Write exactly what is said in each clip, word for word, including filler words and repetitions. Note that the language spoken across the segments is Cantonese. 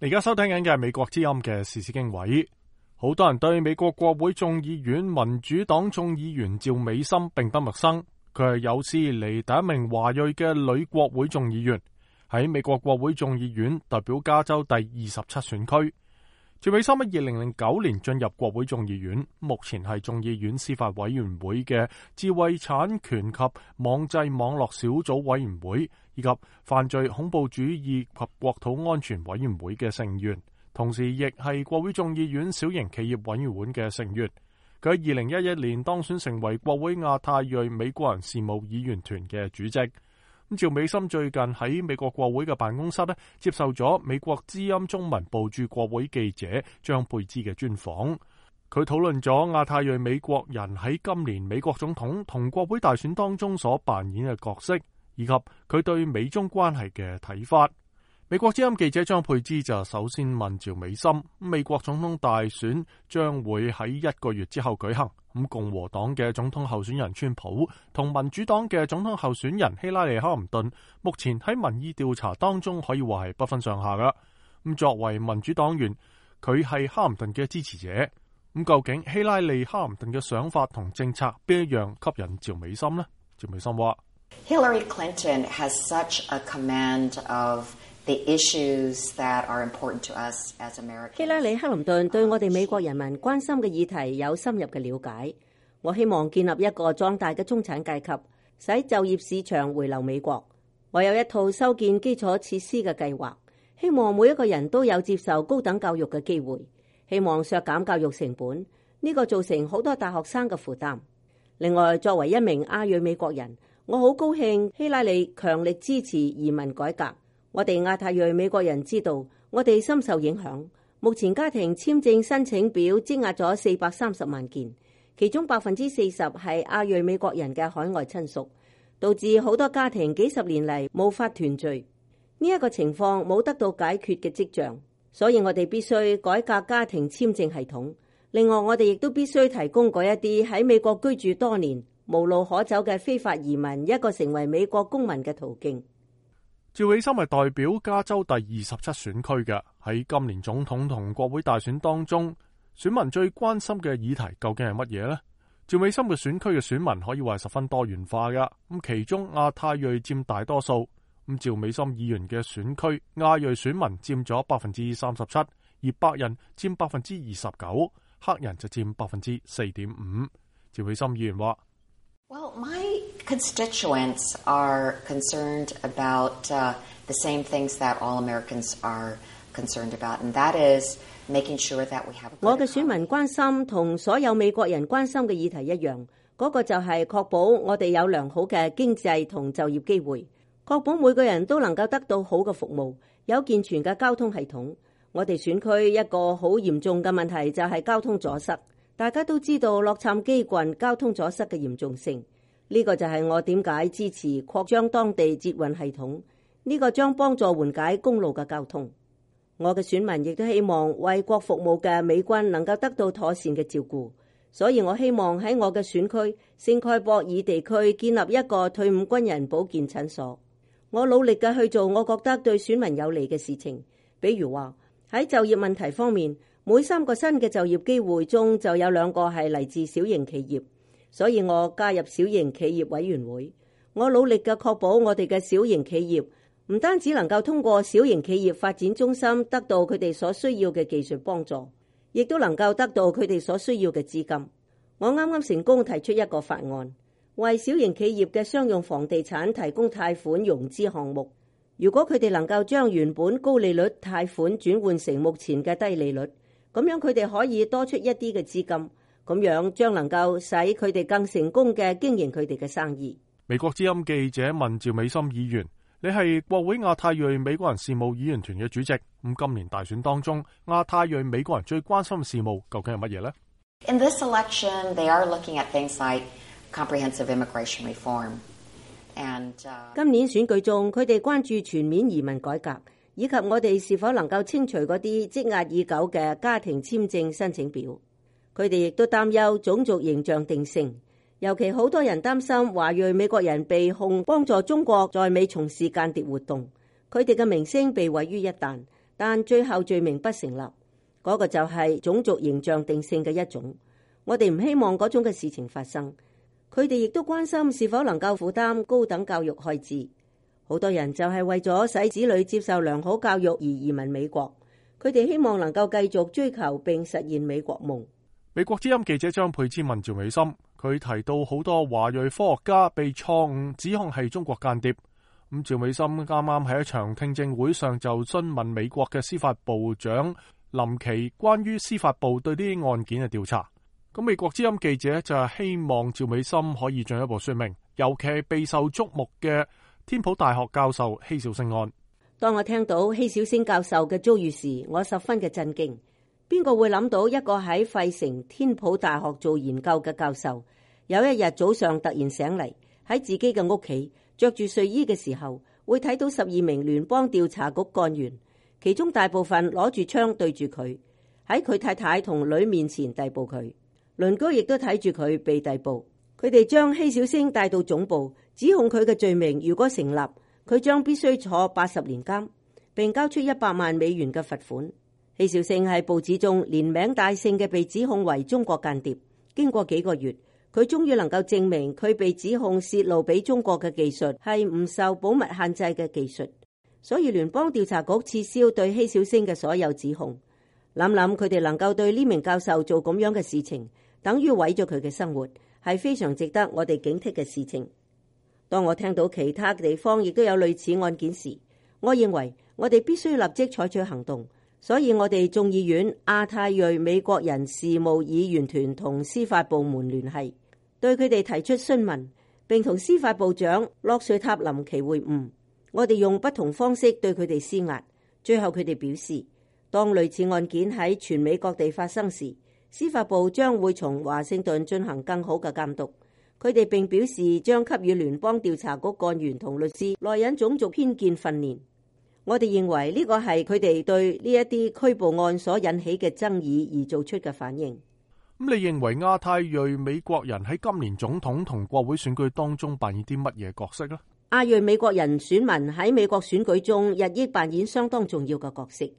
而家收聽緊嘅係美國之音嘅時事經緯。好多人對美國國會眾議院民主黨眾議員趙美心並不陌生，佢係有史以嚟第一名華裔嘅女國會眾議員，喺美國國會眾議院代表加州第二十七選區。趙美心喺二零零九年進入國會眾議院，目前係眾議院司法委員會嘅智慧產權及網際網絡小組委員會以及犯罪恐怖主義及國土安全委員會嘅成員，同時亦係國會眾議院小型企業委員會嘅成員。佢喺二零一一年當選成為國會亞太裔美國人事務議員團嘅主席。趙美心最近喺美國國會嘅辦公室咧，接受咗美國之音中文部駐國會記者張佩芝嘅專訪。佢討論咗亞太裔美國人喺今年美國總統同國會大選當中所扮演嘅角色，以及佢對美中關係嘅睇法。美國之音記者張佩芝就首先問趙美心：美國總統大選將會喺一個月之後舉行，咁共和黨嘅總統候選人川普同民主黨嘅總統候選人希拉里克林頓，目前喺民意調查當中可以話係不分上下噶。咁作為民主黨員，佢係克林頓嘅支持者。咁究竟希拉里克林頓嘅想法同政策邊一樣吸引趙美心呢？趙美心話 Hillary Clinton has such a command of the issues that are important to us as Americans. 希拉里克林頓對我哋美國人民關心嘅議題有深入嘅了解。我希望建立一個壯大嘅中產階級，使就業市場回流美國。我有一套修建基礎設施嘅計劃，希望每一個人都有接受高等教育嘅機會。希望削減教育成本，呢個造成好多大學生嘅負擔。另外，作為一名亞裔美國人，我好高興希拉里強力支持移民改革。我哋亞太裔美國人知道，我哋深受影響。目前家庭簽證申請表積壓咗四百三十萬件，其中百分之四十係亞裔美國人嘅海外親屬，導致好多家庭幾十年嚟無法團聚。呢一個情況冇得到解決嘅跡象，所以我哋必須改革家庭簽證系統。另外，我哋亦都必須提供嗰一啲喺美國居住多年、無路可走嘅非法移民一個成為美國公民嘅途徑。趙美心係代表加州第二十七選區嘅，喺今年總統同國會大選當中，選民最關心嘅議題究竟係乜嘢呢？趙美心嘅選區嘅選民可以話係十分多元化噶，咁其中亞太裔佔大多數，咁趙美心議員嘅選區亞裔選民佔咗百分之三十七，而白人佔百分之二十九，黑人就佔百分之四點五。趙美心議員話Well, my constituents are concerned about uh, the same things that all Americans are concerned about, and that is making sure that we have a good economy. 我嘅選民關心同所有美國人關心嘅議題一樣，嗰個就係確保我哋有良好嘅經濟同就業機會，確保每個人都能夠得到好嘅服務，有健全嘅交通系統。我哋選區一個好嚴重嘅問題就係交通阻塞。大家都知道洛杉磯郡交通阻塞嘅嚴重性，呢個就係我點解支持擴張當地捷運系統，呢個將幫助緩解公路嘅交通。我嘅選民亦都希望為國服務嘅美軍能夠得到妥善嘅照顧，所以我希望喺我嘅選區聖蓋博爾地區建立一個退伍軍人保健診所。我努力嘅去做我覺得對選民有利嘅事情，比如話喺就業問題方面，每三個新嘅就業機會中就有兩個係嚟自小型企業，所以我加入小型企業委員會。我努力嘅確保我哋嘅小型企業唔單止能夠通過小型企業發展中心得到佢哋所需要嘅技術幫助，亦都能夠得到佢哋所需要嘅資金。我啱啱成功提出一個法案，為小型企業嘅商用房地產提供貸款融資項目。如果佢哋能夠將原本高利率貸款轉換成目前嘅低利率，咁樣佢哋可以多出一啲嘅資金，咁樣將能夠使佢哋更成功嘅經營佢哋嘅生意。美國之音記者問趙美心議員：你係國會亞太裔美國人事務議員團嘅主席，咁今年大選當中，亞太裔美國人最關心嘅事務究竟係乜嘢呢？ In this election, they are looking at things like comprehensive immigration reform. And, uh, 今年選舉中，佢哋關注全面移民改革，以及我哋是否能夠清除嗰啲積壓已久嘅家庭簽證申請表。佢哋亦都擔憂種族形象定性，尤其好多人擔心華裔美國人被控幫助中國在美從事間諜活動，佢哋嘅名聲被毀於一旦。但最後罪名不成立，嗰個就係種族形象定性嘅一種。我哋唔希望嗰種嘅事情發生。佢哋亦都關心是否能夠負擔高等教育開支。好多人就係為咗使子女接受良好教育而移民美國。佢哋希望能夠繼續追求並實現美國夢。美國之音記者張佩芝問趙美心，佢提到好多華裔科學家被錯誤指控係中國間諜。咁趙美心啱啱喺一場聽證會上就詢問美國嘅司法部長林奇關於司法部對呢啲案件嘅調查。咁美國之音記者就係希望趙美心可以進一步說明，尤其係備受矚目嘅天普大學教授希小星案。當我聽到希小星教授嘅遭遇時，我十分嘅震驚。邊個會諗到一個喺費城天普大學做研究嘅教授，有一日早上突然醒嚟，喺自己嘅屋企着住睡衣嘅時候，會睇到十二名聯邦調查局幹員，其中大部分攞住槍對住佢，喺佢太太同女面前逮捕佢。鄰居亦都睇住佢被逮捕，佢哋將希小星帶到總部，指控佢嘅罪名如果成立，佢將必須坐八十年監，並交出一百萬美元嘅罰款。希小星喺報紙中連名帶姓嘅被指控為中國間諜。經過幾個月，佢終於能夠證明佢被指控泄露俾中國嘅技術係唔受保密限制嘅技術，所以聯邦調查局撤銷對希小星嘅所有指控。諗諗佢哋能夠對呢名教授做咁樣嘅事情，等於毀咗佢嘅生活，係非常值得我哋警惕嘅事情。當我聽到其他地方亦都有類似案件時，我認為我哋必須立即採取行動。所以我哋眾議院亞太裔美國人事務議員團同司法部門聯繫，對佢哋提出詢問，並同司法部長洛瑞塔林奇會晤。我哋用不同方式對佢哋施壓。最後佢哋表示，當類似案件喺全美各地發生時，司法部將會從華盛頓進行更好嘅監督。佢哋並表示將給予聯邦調查局幹員同律師來引種族偏見訓練。我哋認為呢個係佢哋對呢一啲拘捕案所引起嘅爭議而做出嘅反應。咁你認為亞太裔美國人喺今年總統同國會選舉當中扮演啲乜嘢角色呢？亞裔美國人選民喺美國選舉中日益扮演相當重要嘅角色。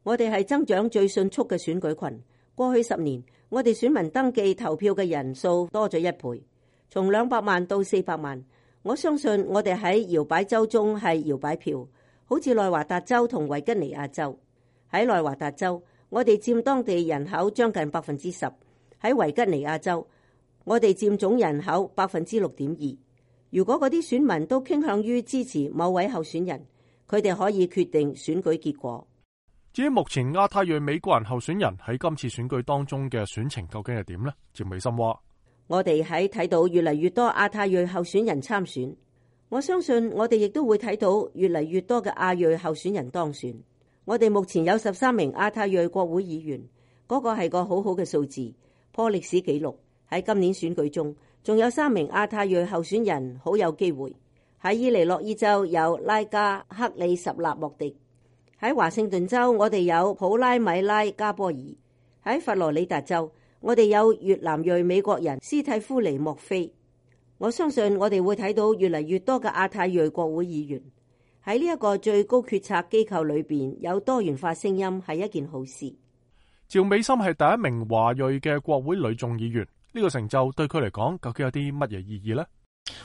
我哋係增長最迅速嘅選舉群。過去十年，我哋選民登記投票嘅人數多咗一倍，從兩百萬到四百萬。我相信我哋喺搖擺州中係搖擺票。好似內華達州同維吉尼亞州。喺內華達州，我哋佔當地人口將近百分之十；喺維吉尼亞州，我哋佔總人口百分之六點二。如果嗰啲選民都傾向於支持某位候選人，佢哋可以決定選舉結果。至於目前亞太裔美國人候選人喺今次選舉當中嘅選情究竟係點呢？趙美心話：我哋喺睇到越嚟越多亞太裔候選人參選。我相信我哋亦都會睇到越嚟越多嘅亞裔候選人當選。我哋目前有十三名亞太裔國會議員，嗰個係個好好嘅數字，破歷史紀錄。喺今年選舉中，仲有三名亞太裔候選人好有機會。喺伊利諾伊州有拉加克里什納莫迪，喺華盛頓州我哋有普拉米拉加波爾，喺佛羅里達州我哋有越南裔美國人斯蒂夫尼莫菲。我相信我哋會睇到越嚟越多嘅亞太裔國會議員。喺呢一個最高決策機構裏邊有多元化聲音係一件好事。趙美心係第一名華裔嘅國會女眾議員，呢、這個成就對佢嚟講究竟有啲乜嘢意義呢？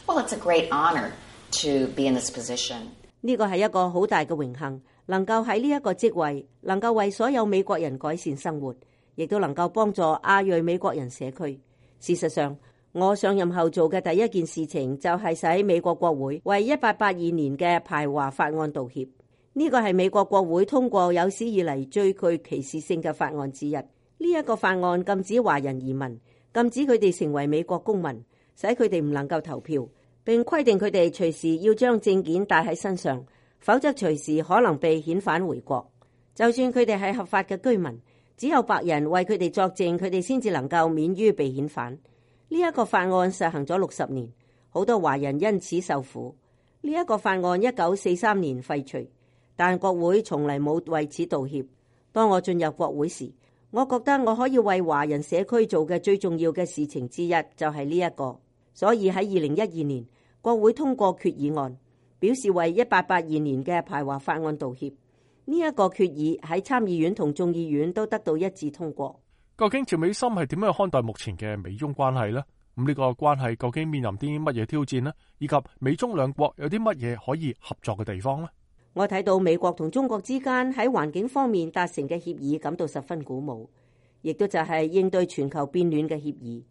Well, it's a great honor to be in this position. 呢個係一個好大嘅榮幸，能夠喺呢一個職位，能夠為所有美國人改善生活，亦都能夠幫助亞裔美國人社區。事實上，我上任後做嘅第一件事情就係使美國國會為一八八二年嘅排華法案道歉。呢個係美國國會通過有史以嚟最具歧視性嘅法案之一。呢一個法案禁止華人移民，禁止佢哋成為美國公民，使佢哋唔能夠投票，並規定佢哋隨時要將證件帶喺身上，否則隨時可能被遣返回國。就算佢哋係合法嘅居民，只有白人為佢哋作證，佢哋先至能夠免於被遣返。呢一個法案實行咗六十年，好多華人因此受苦。呢一個法案一九四三年廢除，但國會從嚟冇為此道歉。當我進入國會時，我覺得我可以為華人社區做嘅最重要嘅事情之一就係呢一個。所以喺二零一二年，國會通過決議案，表示為一八八二年嘅排華法案道歉。呢一個決議喺參議院同眾議院都得到一致通過。究竟趙美心係點樣看待目前嘅美中關係呢？咁呢個關係究竟面臨啲乜嘢挑戰呢？以及美中兩國有啲乜嘢可以合作嘅地方呢？我睇到美國同中國之間喺環境方面達成嘅協議感到十分鼓舞，亦都就係應對全球變暖嘅協議。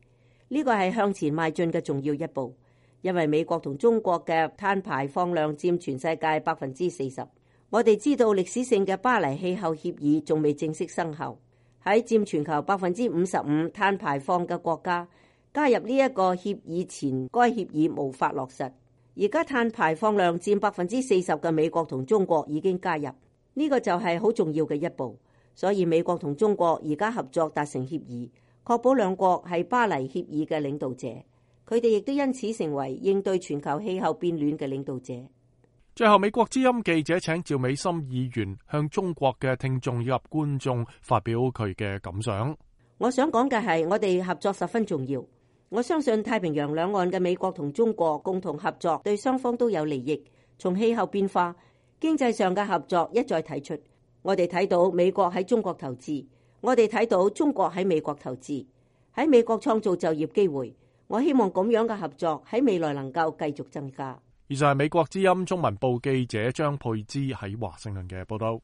呢個係向前邁進嘅重要一步，因為美國同中國嘅碳排放量佔全世界百分之四十。我哋知道歷史性嘅巴黎氣候協議仲未正式生效，喺佔全球百分之五十五碳排放嘅國家加入呢一個協議前，該協議無法落實。而家碳排放量佔百分之四十嘅美國同中國已經加入，呢個就係好重要嘅一步。所以美國同中國而家合作達成協議，確保兩國係巴黎協議嘅領導者，佢哋亦都因此成為應對全球氣候變暖嘅領導者。最後，美國之音記者請趙美心議員向中國嘅聽眾以及觀眾發表佢嘅感想。我想講嘅係，我哋合作十分重要。我相信太平洋兩岸嘅美國同中國共同合作對雙方都有利益。從氣候變化、經濟上嘅合作一再提出，我哋睇到美國喺中國投資，我哋睇到中國喺美國投資，喺美國創造就業機會。我希望咁樣嘅合作喺未來能夠繼續增加。以上係美國之音中文部記者張佩芝喺華盛頓嘅報道。